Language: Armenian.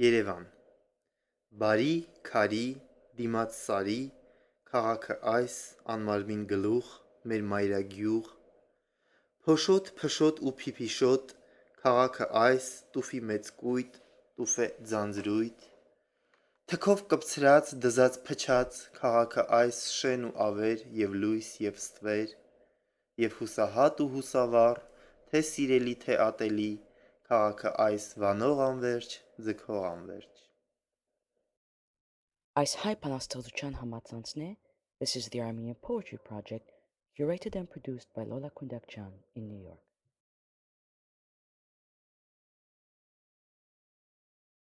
Երևան Բարի, քարի, դիմաց սարի, քաղաքը այս, անմարմին գլուխ, մեր մայրագյուղ, փոշոտ, փշոտ ու փիփիշոտ, քաղաքը այս, տուֆի մեծ կույտ, տուֆ է ձանձրույթ, թքով կպցրած, դզած փչած, քաղաքը այս, շեն ու ավեր, և լույս, և ստվեր, և հուսահատ ու հուսավառ, թե սիրելի, թե ատելի, քաղաքը այս, վանող անվերջ, ձգող անվերջ։ Այս հայ բանաստեղծության համացանցն է This is the Armenian Poetry Project, curated and produced by Lola Kundakjan in New York.